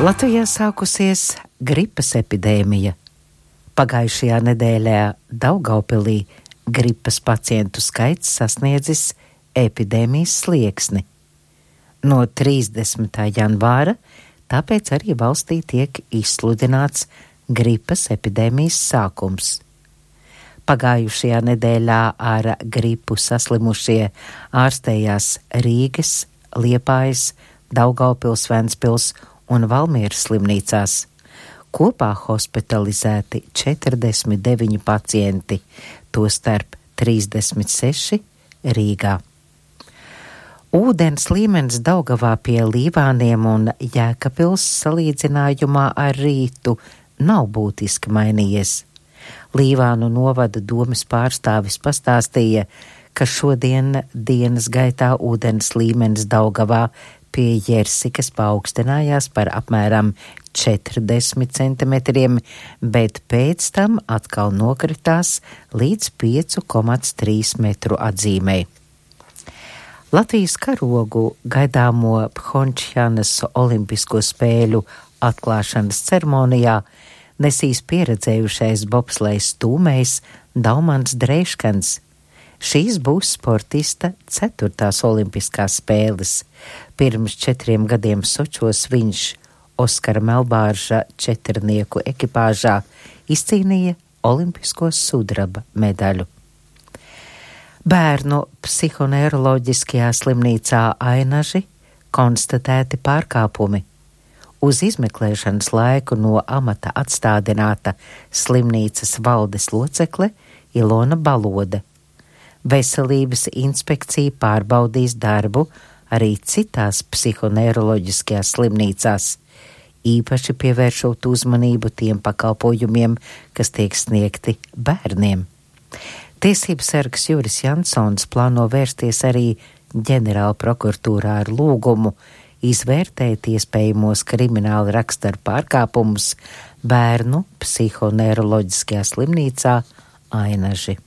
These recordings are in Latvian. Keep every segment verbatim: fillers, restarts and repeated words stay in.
Latvijā sākusies gripas epidēmija. Pagājušajā nedēļā Daugavpilī gripas pacientu skaits sasniedzis epidēmijas slieksni. No trīsdesmitā janvāra tāpēc arī valstī tiek izsludināts gripas epidēmijas sākums. Pagājušajā nedēļā ar gripu saslimušie ārstējās Rīgas, Liepājas, Daugavpils, Ventspils un Valmieras slimnīcās. Kopā hospitalizēti četrdesmit deviņi pacienti, tostarp trīsdesmit seši Rīgā. Ūdens līmenis Daugavā pie Līvāniem un Jēkabpils salīdzinājumā ar rītu nav būtiski mainījies. Līvānu novada domes pārstāvis pastāstīja, ka šodien dienas gaitā ūdens līmenis Daugavā pie Jersikas paaugstinājās par apmēram četrdesmit centimetriem, bet pēc tam atkal nokritās līdz pieci komats trīs metru atzīmei. Latvijas karogu gaidāmo Phončhanas olimpisko spēļu atklāšanas ceremonijā nesīs pieredzējušais bobslejs stūmējs Daumans Dreiškans. Šīs būs sportista ceturtās olimpiskās spēles. Pirms četriem gadiem Sočos viņš Oskara Melbārža četrnieku ekipāžā izcīnīja olimpisko sudraba medaļu. Bērnu psihoneiroloģiskajā slimnīcā Ainaži konstatēti pārkāpumi. Uz izmeklēšanas laiku no amata atstādināta slimnīcas valdes locekle Ilona Balode. Veselības inspekcija pārbaudīs darbu arī citās psihoneiroloģiskajās slimnīcās, īpaši pievēršot uzmanību tiem pakalpojumiem, kas tiek sniegti bērniem. Tiesības sargs Juris Jansons plāno vērsties arī ģenerāla prokuratūrā ar lūgumu izvērtēt iespējamos krimināla rakstura pārkāpumus bērnu psihoneiroloģiskajā slimnīcā Ainaži.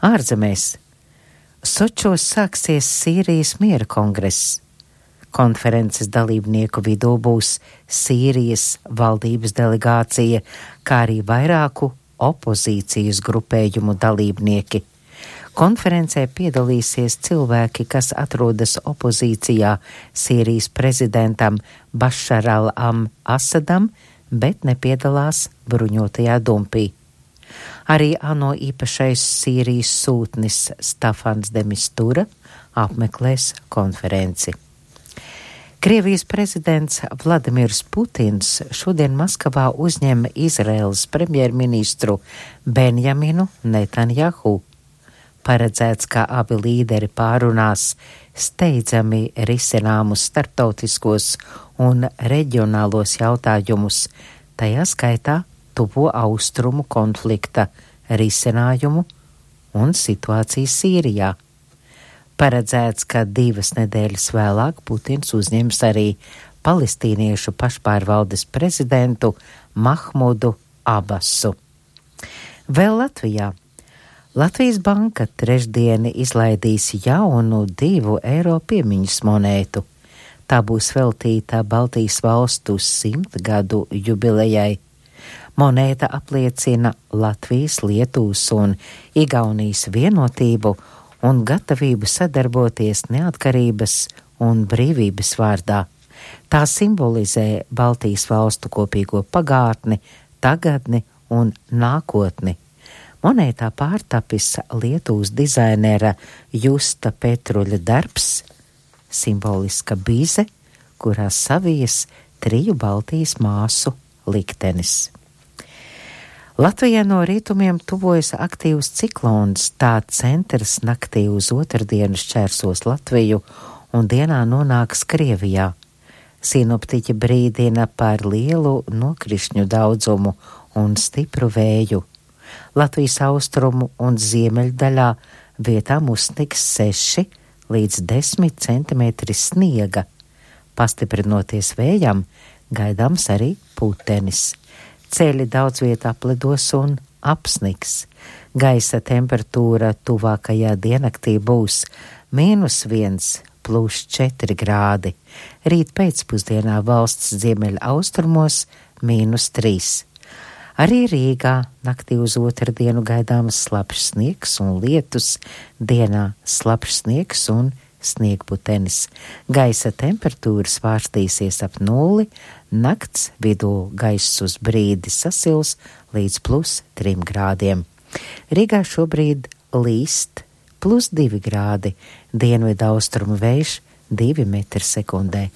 Ārzemēs. Sočos sāksies Sīrijas miera kongress. Konferences dalībnieku vidū būs Sīrijas valdības delegācija, kā arī vairāku opozīcijas grupējumu dalībnieki. Konferencē piedalīsies cilvēki, kas atrodas opozīcijā Sīrijas prezidentam Bašar al-Asadam, bet nepiedalās bruņotajā dumpī. Arī ANO īpašais Sīrijas sūtnis Stafans de Mistura apmeklēs konferenci. Krievijas prezidents Vladimirs Putins šodien Maskavā uzņem Izraēlas premjerministru Benjaminu Netanjahu. Paredzēts, ka abi līderi pārunās steidzami risināmus starptautiskos un reģionālos jautājumus, tajā skaitā tuvo austrumu konflikta risinājumu un situāciju Sīrijā. Paredzēts, ka divas nedēļas vēlāk Putins uzņems arī palestīniešu pašpārvaldes prezidentu Mahmudu Abasu. Vēl Latvijā. Latvijas banka trešdien izlaidīs jaunu divu eiro piemiņas monētu. Tā būs veltīta Baltijas valstu simtgadu jubilejai. Monēta apliecina Latvijas, Lietuvas un Igaunijas vienotību un gatavību sadarboties neatkarības un brīvības vārdā. Tā simbolizē Baltijas valstu kopīgo pagātni, tagadni un nākotni. Monētā pārtapis Lietuvas dizainera Justa Petruļa darbs, simboliska bize, kurā savijas triju Baltijas māsu liktenis. Latvijā no rietumiem tuvojas aktīvs ciklons, tā centrs naktī uz otrdienu šķērsos Latviju un dienā nonāks Krievijā. Sinoptiķi brīdina par lielu nokrišņu daudzumu un stipru vēju. Latvijas austrumu un ziemeļdaļā vietām uzsnigs seši līdz desmit centimetri sniega. Pastiprinoties vējam, gaidāms arī putenis. Ceļi daudz vietā apledos un apsniks. Gaisa temperatūra tuvākajā diennaktī būs mīnus viens plus četri grādi. Rīt pēcpusdienā valsts ziemeļa austrumos mīnus trīs. Arī Rīgā naktī uz otrdienu gaidāms slapjš sniegs un lietus, dienā slapjš sniegs un sniegputenis. Gaisa temperatūra svārstīsies ap nulli, nakts vidū gaiss uz brīdi sasils līdz plus trim grādiem. Rīgā šobrīd līst plus divi grādi, dienvidu austrumu vējš divi metri sekundē.